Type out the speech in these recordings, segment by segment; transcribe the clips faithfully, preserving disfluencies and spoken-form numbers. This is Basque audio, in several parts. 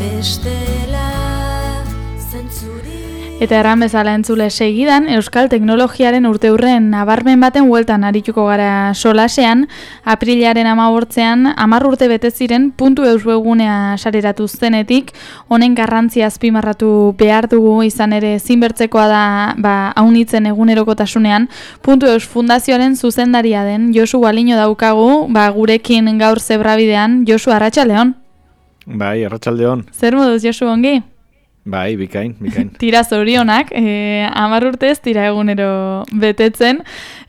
bestela zentzuri. Eta erran bezala entzule segidan, Euskal Teknologiaren urteurren nabarmen baten hueltan arituko gara solasean, aprilaren hamabortzean, hamar urte bete ziren puntu eus webgunea sareratu zenetik, honen garrantzia azpimarratu behar dugu izan ere zinbertzekoa da ba, haunitzen egunerokotasunean, puntu eus fundazioaren zuzendaria den Josu Baliño daukagu, ba, gurekin gaur zebrabidean. Josu, arratsaldeon. Bai, arratsaldeon. Zer moduz, Josu, ongi? Bai, bikain, bikain. Tira zorionak, eh, hamar urtez tira egunero betetzen,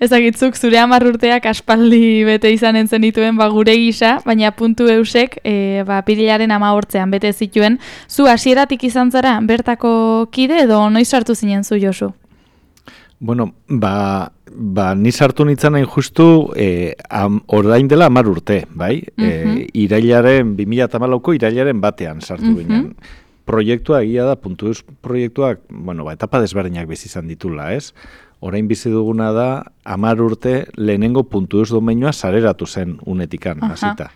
ezagitzuk zure hamar urteak aspaldi bete izan entzen dituen ba, gure gisa, baina puntu eusek eh, ba, pirilaren hamabortzean bete zituen. Zu hasieratik izan zara bertako kide edo noiz sartu zinen zu, Josu? Bueno, ba, ba ni sartu nintzen hain justu eh, am, orain dela hamar urte, bai? Uh-huh. eh, irailaren, bi mila hamalauko irailaren batean sartu uh-huh. ginen. Proiektua egia da, puntu eus proiektuak, bueno, ba, etapa desberdinak bizi izan ditula, ez? Orain bizi duguna da, hamar urte lehenengo puntu eus domeinua sareratu zen unetikan, hasita.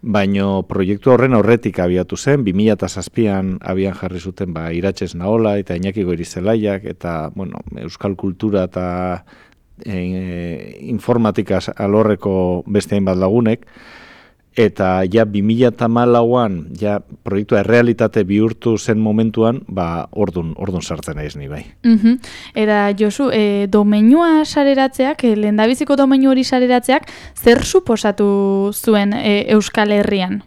Baino proiektu horren aurretik abiatu zen, bi mila zazpian abian jarri zuten ba, Iratxez Naola eta Iñaki Goirizelaiak, eta bueno, euskal kultura eta e, informatika alorreko beste hainbat lagunek, eta ja bi mila hamalauan ja proiektua errealitate bihurtu zen momentuan, ba ordun ordun sartzen naiz ni bai. Mhm. Era Josu, e, domeinua sareratzeak, e, lehendabiziko domeinu hori sareratzeak zer suposatu zuen e, Euskal Herrian?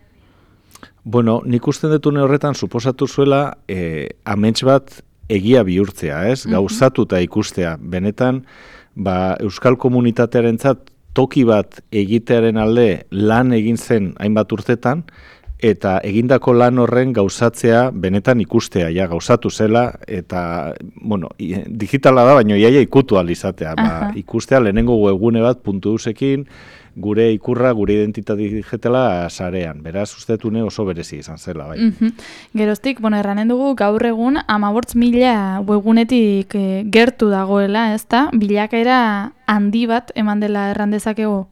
Bueno, nik usten dut une horretan suposatu zuela e, amets bat egia bihurtzea, ez? Gauzatuta ikustea. Benetan, ba euskal komunitatearentzat toki bat egitearen alde lan egin zen hainbat urtetan, eta egindako lan horren gauzatzea benetan ikustea, ja, gauzatu zela, eta, bueno, digitala da, baina iaia ikutu alizatea, ba, ikustea lehenengo webgune bat puntu eusekin, gure ikurra, gure identitate digitala sarean. Beraz, ustetune oso berezi izan zela, bai. Mm-hmm. Geroztik, bueno, erranen dugu, gaur egun, hamabortz mila webgunetik e, gertu dagoela, ez da? Bilakaera handi bat eman dela erran dezakegu?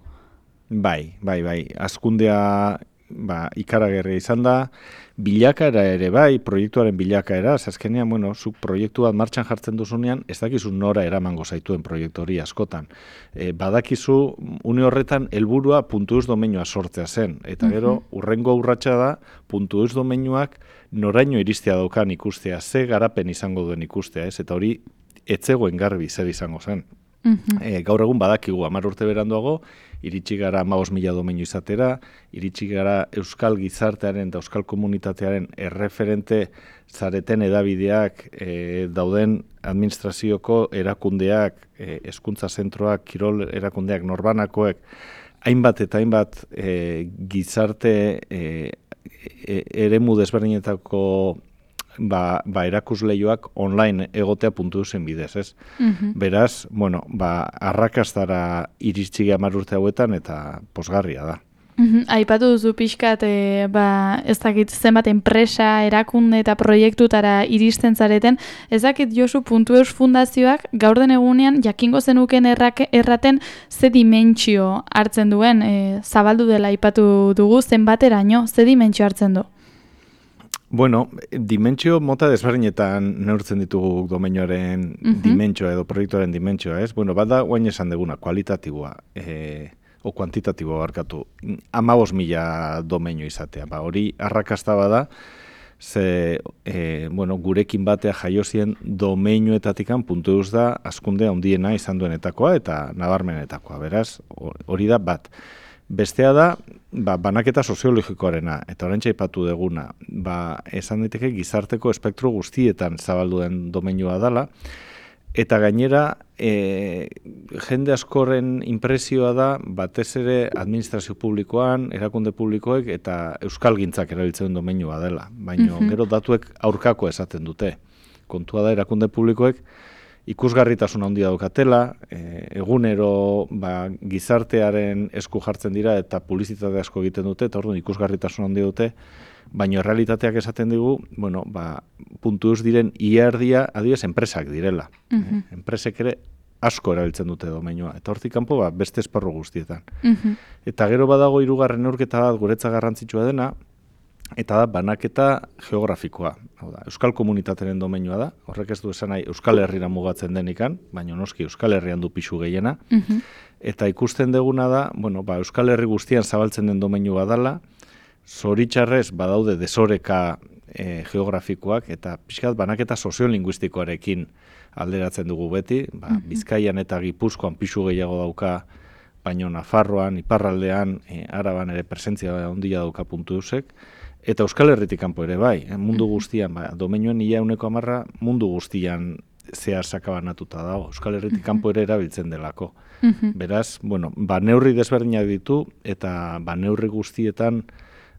Bai, bai, bai. Azkundea ba, ikaragarria izan da, bilakaera ere bai, proiektuaren bilakaera, azkenean, bueno, zuk proiektu bat martxan jartzen duzunean, ez dakizu nora eramango zaituen proiektu hori askotan. E, badakizu, une horretan, helburua puntu eus domeinua sortzea zen, eta gero, urrengo urratsa da, puntu eus domeinuak noraino iristea daukan ikustea, ze garapen izango duen ikustea, ez? Eta hori, etzegoen garbi zer izango zen. Uh-huh. E, gaur egun badakigu, hamar urte beranduago, iritsi gara hamabost mila domeinu izatera, iritsi gara euskal gizartearen eta euskal komunitatearen erreferente zareten edabideak e, dauden administrazioko erakundeak, e, hezkuntza zentroak, kirol erakundeak, norbanakoek, hainbat eta hainbat e, gizarte e, e, eremu desberdinetako Ba, ba erakusleioak online egotea puntu zen bidez, ez? Uh-huh. Beraz, bueno, ba, arrakastara iritsi hamar urte hauetan eta posgarria da. Uh-huh. Aipatu duzu pixkat, e, ba, ez dakit zenbat enpresa, erakunde eta proiektutara iristen zareten, ez dakit Josu puntu eus fundazioak gaur den egunean jakingo zenuken errak, erraten ze dimentsio hartzen duen, e, zabaldu dela aipatu dugu, zenbateraino, ze dimentsio hartzen du? Bueno, dimentsio mota desberdinetan neurtzen ditugu domeinioaren uh-huh. dimentsioa edo proiektuaren dimentsioa, ez? Bueno, bada guain esan deguna, kualitatiboa, e, o kuantitatiboa barkatu, hamabost mila domeinu izatea, ba, hori arrakasta bada, ze, e, bueno, gurekin batea jaiozien domeinuetatikan puntu eus da, askunde handiena izan duenetakoa eta nabarmenetakoa, beraz, hori da bat. Bestea da, ba, banaketa soziologikoarena, eta oraintxe aipatu deguna, ba, esan daiteke gizarteko espektro guztietan zabaldu den domeinua dela, eta gainera, e, jende askoren inpresioa da, batez ere administrazio publikoan, erakunde publikoek, eta euskalgintzak erabiltzen domeinua dela, baina mm-hmm. gero datuek aurkako esaten dute. Kontua da, erakunde publikoek, ikusgarritasun handia daukatela, e, egunero ba, gizartearen esku jartzen dira eta publizitate asko egiten dute, eta orduan ikusgarritasun handia dute, baina realitateak esaten digu, bueno, ba, puntu eus diren iardia, adibidez, enpresak direla. Uh-huh. e, enpresek ere asko erabiltzen dute domeinua, eta hortik kanpo ba, beste esparru guztietan. Uh-huh. Eta gero badago hirugarren neurketa bat guretza garrantzitsua dena, eta da banaketa geografikoa. Hau da, Euskal Komunitatearen domeinua da, horrek ez du esan nahi Euskal Herrira mugatzen denikan, baina noski Euskal Herrian du pisu gehiena, Mhm. eta ikusten deguna da, bueno, ba, Euskal Herri guztian zabaltzen den domeinua dela, zoritxarrez badaude desoreka e, geografikoak, eta pixkat banaketa soziolinguistikoarekin alderatzen dugu beti, ba, Bizkaian eta Gipuzkoan pisu gehiago dauka, baino Nafarroan, Iparraldean, e, Araban ere presentzia handia dauka puntu eusek, eta Euskal Herritik kanpo ere bai, eh, mundu guztian, ba, domeinuen ia euneko hamarra mundu guztian zehar sakabanatuta dago, Euskal Herritik kanpo ere erabiltzen delako. Beraz, bueno, ba, neurri desberdinak ditu, eta ba, neurri guztietan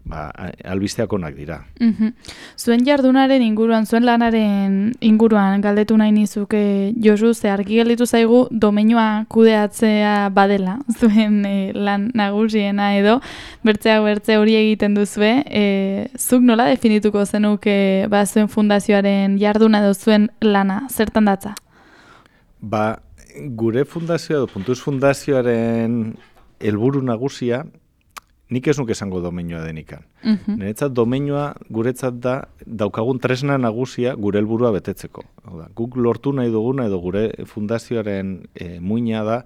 ba, albisteak onak dira. Mhm. Zuen jardunaren inguruan, zuen lanaren inguruan galdetu nahi nizuke Josu, ze argi gelditu zaigu domeinua kudeatzea badela, zuen e, lan nagusiena edo, bertzeak bertze hori egiten duzue, e, zuk nola definituko zenuke ba, zuen fundazioaren jarduna edo zuen lana, zertan datza? Ba, gure fundazioa edo Puntuz fundazioaren helburu nagusia, nik ez nuke esango domeinua denikan. Mhm. Niretzat domeinua guretzat da daukagun tresna nagusia gure helburua betetzeko. Hau da, guk lortu nahi duguna edo gure fundazioaren e, muina da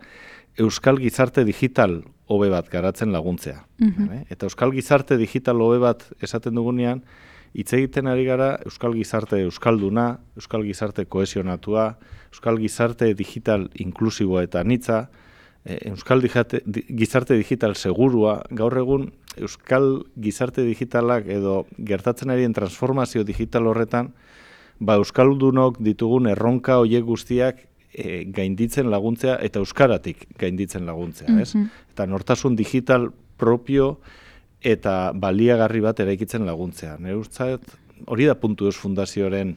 Euskal Gizarte Digital hobe bat garatzen laguntzea. Vale? Eta Euskal Gizarte Digital hobe bat esaten dugunean, hitz egiten ari gara Euskal Gizarte Euskalduna, Euskal Gizarte kohesionatua, Euskal Gizarte Digital inklusiboa eta anitza, Euskal Gizarte Digital segurua, gaur egun Euskal Gizarte Digitalak edo gertatzen arien transformazio digital horretan, ba Euskaldunok ditugun erronka hoiek guztiak e, gainditzen laguntzea eta euskaratik gainditzen laguntzea, ez? Eta nortasun digital propio eta baliagarri bat eraikitzen laguntzea. Nire ustzat, hori da Puntu Eus fundazioaren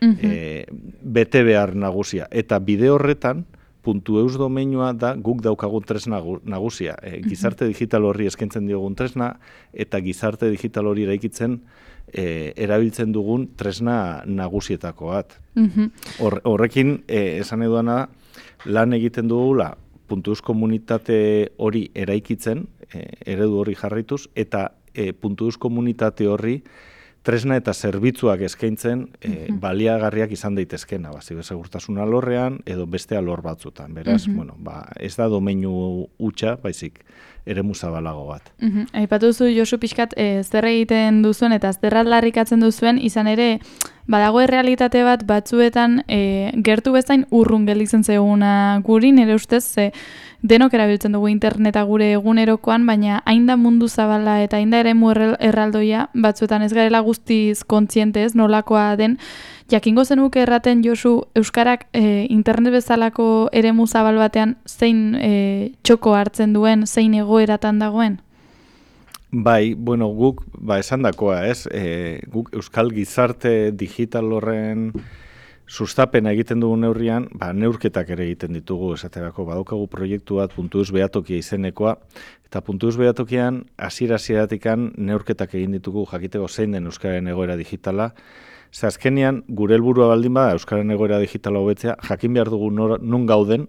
e, bete behar nagusia. Eta bide horretan, Puntu Eus domeinua da guk daukagun tresna nagusia. E, gizarte digital horri eskaintzen diogun tresna, eta gizarte digital hori eraikitzen e, erabiltzen dugun tresna nagusietako bat. Hor, horrekin, e, esan eduna, lan egiten dugula Puntu Eus komunitate hori eraikitzen, e, eredu hori jarraituz, eta e, Puntu Eus komunitate horri tresna eta zerbitzuak eskaintzen e, baliagarriak izan daitezkena, ba, zibersegurtasun alorrean edo beste alor batzutan. Beraz, bueno, ba, ez da domeinu hutsa, baizik eremu zabalago bat. Mhm. Aipatu duzu Josu pixkat e, zer egiten duzuen eta zer aldarrikatzen duzuen, izan ere badago errealitate bat batzuetan e, gertu bezain urrun gelditzen zeguna guri, nire ustez, ze denok erabiltzen dugu interneta gure egunerokoan, baina hain da mundu zabala eta hain da eremu erraldoia, batzuetan ez garela guztiz kontzientez nolakoa den. Jakingo zenuke erraten Josu, Euskarak e, internet bezalako eremu zabal batean zein e, txoko hartzen duen, zein egoeratan dagoen? Bai, bueno, guk, ba, esandakoa, ez? E, guk Euskal Gizarte Digital horren sustapena egiten dugu neurrian, ba, neurketak ere egiten ditugu, esaterako, badaukagu proiektu bat Puntu Eus behatokia izenekoa, eta Puntu Eus behatokian, hasiera-hasieratik neurketak egin ditugu jakiteko zein den Euskararen egoera digitala. Ze azkenean, gure helburua baldin bada Euskararen egoera digitala hobetzea, jakin behar dugu nor, nun gauden,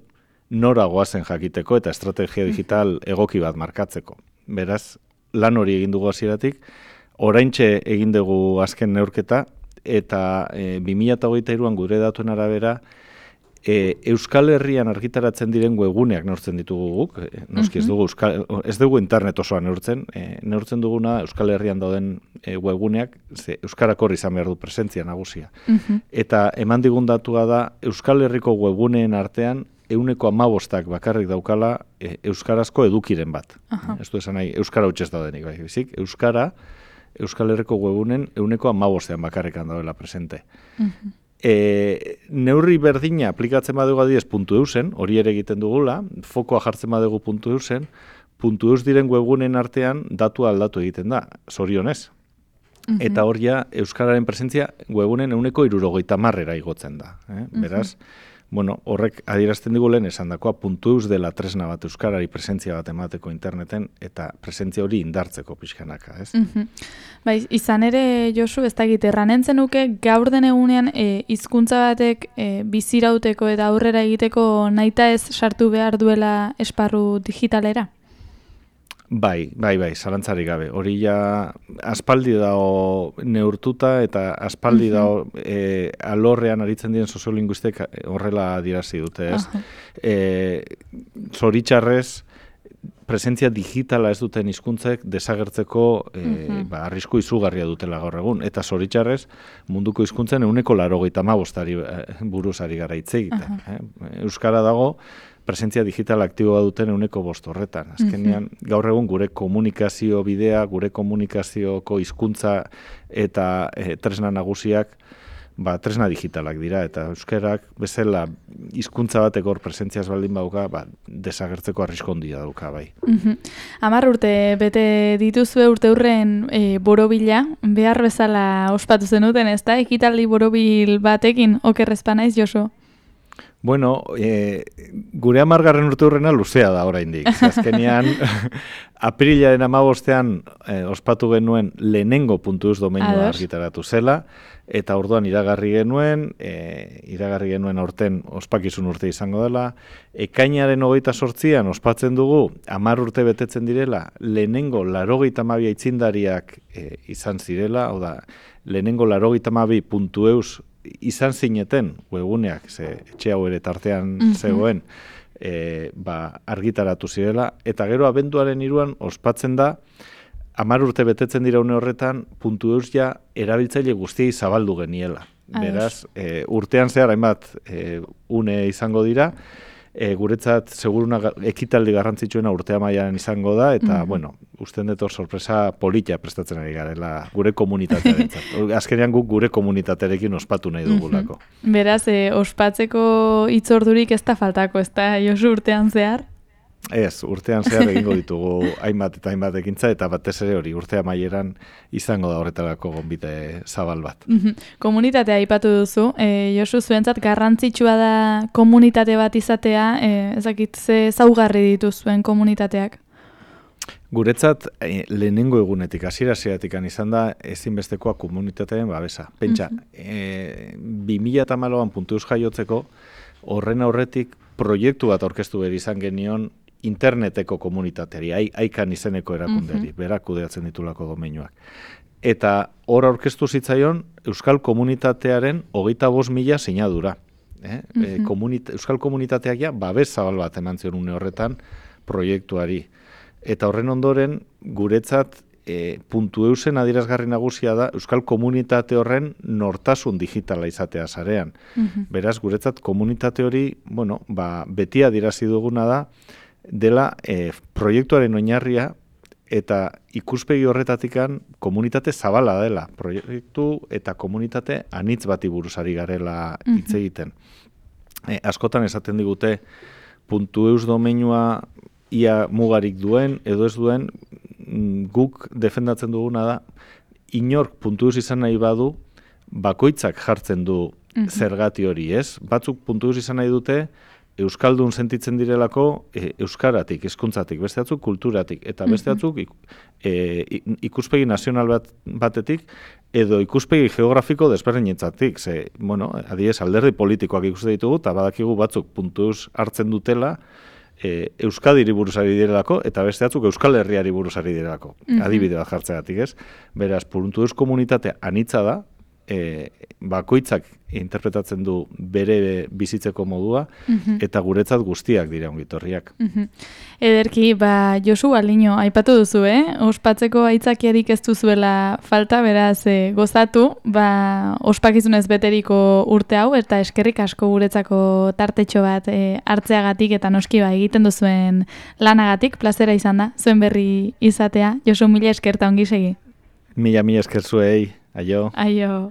nora goazen jakiteko eta estrategia digital egoki bat markatzeko. Beraz, lan hori egin dugu hasieratik, oraintxe egin dugu azken neurketa, eta e, bi mila hogeita hiruan gure datuen arabera, e, Euskal Herrian argitaratzen diren webguneak neurtzen ditugu guk, e, noski ez dugu, Euskal, ez dugu internet osoa neurtzen, e, neurtzen duguna Euskal Herrian dauden e, webguneak, ze Euskarak horri izan behar du presentzia nagusia. Eta eman digun datua da, Euskal Herriko webguneen artean, euneko amabostak bakarrik daukala e, euskarazko edukiren bat. Uh-huh. Ez du esan nahi, euskara hutsez daudenik, bai, bizik, euskara, Euskal Herriko webunen euneko amabostean bakarrikan daudela presente. Uh-huh. E, neurri berdina aplikatzen badugu adibidez Puntu Eusen, hori ere egiten dugula, fokoa jartzen badugu Puntu Eusen, Puntu Eus diren webunen artean datu aldatu egiten da, zorionez. Uh-huh. Eta hor ja, euskararen presentzia webunen euneko hirurogeita hamarrera igotzen da. Eh? Beraz, uh-huh. Bueno, horrek adierazten digu lehen esandakoa Puntu Eus dela tresna bat euskarari presentzia bat emateko interneten eta presentzia hori indartzeko pixkanaka, ez? Mm-hmm. Bai, izan ere Josu, ez dakit erranen zenuke gaur den egunean e, hizkuntza batek e, bizirauteko eta aurrera egiteko nahita ez sartu behar duela esparru digitalera? Bai, bai, bai, zalantzarik gabe. Hori ja aspaldi dago neurtuta eta aspaldi dago e, alorrean aritzen diren soziolinguistek horrela adierazi dute, ez? E, zoritxarrez, presentzia digitala ez duten hizkuntzek desagertzeko e, uh-huh. ba, arrisku izugarria dutela gaur egun. Eta zoritxarrez, munduko hizkuntzen ehuneko laurogeita hamabostari buruz ari gara hitz egiten. Uh-huh. eh? Euskara dago, presentzia digital aktiboa duten ehuneko bost horretan. Azkenean, mm-hmm. gaur egun gure komunikazio bidea, gure komunikazioko hizkuntza eta e, tresna nagusiak, ba, tresna digitalak dira, eta euskarak bezala hizkuntza batek hor presentziaz baldin bauka, ba, desagertzeko arrisku handia dauka, bai. Mm-hmm. Hamar urte bete dituzue urte hurren e, borobila, behar bezala ospatu zenuten, ez da? Ekitaldi borobil batekin, okerrezpa naiz, Josu? Bueno, e, gure hamargarren urte hurrena luzea da oraindik. Azkenean, aprilaren hamabostean e, ospatu genuen lehenengo puntu eus domeinua argitaratu zela, eta orduan iragarri genuen, e, iragarri genuen aurten ospakizun urte izango dela, ekainaren hogeita zortzian ospatzen dugu, hamar urte betetzen direla, lehenengo laurogeita hamabi aitzindariak e, izan zirela, hau da, lehenengo laurogeita hamabi puntu eus izan zineten, webuneak, ze etxe hau ere tartean mm-hmm. zegoen, e, ba, argitaratu zirela, eta gero abenduaren hiruan ospatzen da, hamar urte betetzen dira une horretan, puntu eus ja erabiltzaile guztiei zabaldu geniela. Beraz, e, urtean zehar, hainbat, e, une izango dira, e, guretzat seguruna ekitaldi garrantzitsuena urte amaian izango da, eta, mm-hmm. bueno, usten dut hor sorpresa polita prestatzen ari garela gure komunitatearentzat. Azkenean guk gure komunitatearekin ospatu nahi dugulako. Mm-hmm. Beraz, e, ospatzeko hitzordurik ez da faltako, ez da, Josu, urtean zehar? Ez, urtean zehar egingo ditugu hainbat eta hainbat ekintza, eta batez ere hori urte amaieran izango da horretarako gonbite zabal bat. Mm-hmm. Komunitatea aipatu duzu, e, Josu, zuentzat garrantzitsua da komunitate bat izatea, e, ezakit ze zaugarri dituzuen komunitateak? Guretzat, eh, lehenengo egunetik, hasiera-hasieratik izan da ezinbestekoa komunitateen babesa. Pentsa, mm-hmm. eh, bi mila hamalauan puntu eus jaiotzeko, horren aurretik proiektu bat aurkeztu behar izan genion interneteko komunitateari, aikan izeneko erakunderi, mm-hmm. berak kudeatzen ditulako domeinuak. Eta hor aurkeztu zitzaion Euskal Komunitatearen hogeita bost mila sinadura. Eh? Mm-hmm. E, komunita- Euskal Komunitateak ja babes zabal bat eman zion une horretan proiektuari. Eta horren ondoren, guretzat, e, puntu eusen adierazgarri nagusia da Euskal Komunitate horren nortasun digitala izatea sarean. Mm-hmm. Beraz, guretzat komunitate hori, bueno, ba, beti adierazi duguna da, dela e, proiektuaren oinarria eta ikuspegi horretatikan komunitate zabala dela. Proiektu eta komunitate anitz bati buruz ari garela hitz egiten. E, askotan esaten digute puntu eus domeinua ia mugarik duen edo ez duen, guk defendatzen duguna da, inork puntu eus izan nahi badu, bakoitzak jartzen du mm-hmm. zergati hori, ez? Batzuk puntu eus izan nahi dute, euskaldun sentitzen direlako e, euskaratik, hizkuntzatik, beste batzuk kulturatik, eta beste batzuk e, ikuspegi nazional bat, batetik, edo ikuspegi geografiko desberdinetzatik. Ze, bueno, adiez, alderdi politikoak ikuste ditugu, eta badakigu batzuk puntuz hartzen dutela, e, Euskadiri buruz ari direlako, eta beste batzuk Euskal Herriari buruz ari direlako. Mm-hmm. Adibide bat jartzegatik, ez? Beraz, puntuz komunitate anitza da, E, bakoitzak interpretatzen du bere bizitzeko modua, mm-hmm. eta guretzat guztiak dira ongitorriak. Mm-hmm. Ederki, ba, Josu Baldino, aipatu duzu, eh? Ospatzeko aitzakiarik ez duzuela falta, beraz, e, gozatu, ba, ospakizunez beteriko urte hau, eta eskerrik asko guretzako tartetxo bat e, hartzeagatik, eta noski ba, egiten duzuen lanagatik, plazera izan da, zuen berri izatea. Josu, mila eskerta ongi segi. Mila, mila esker zuei. Aio. Aio.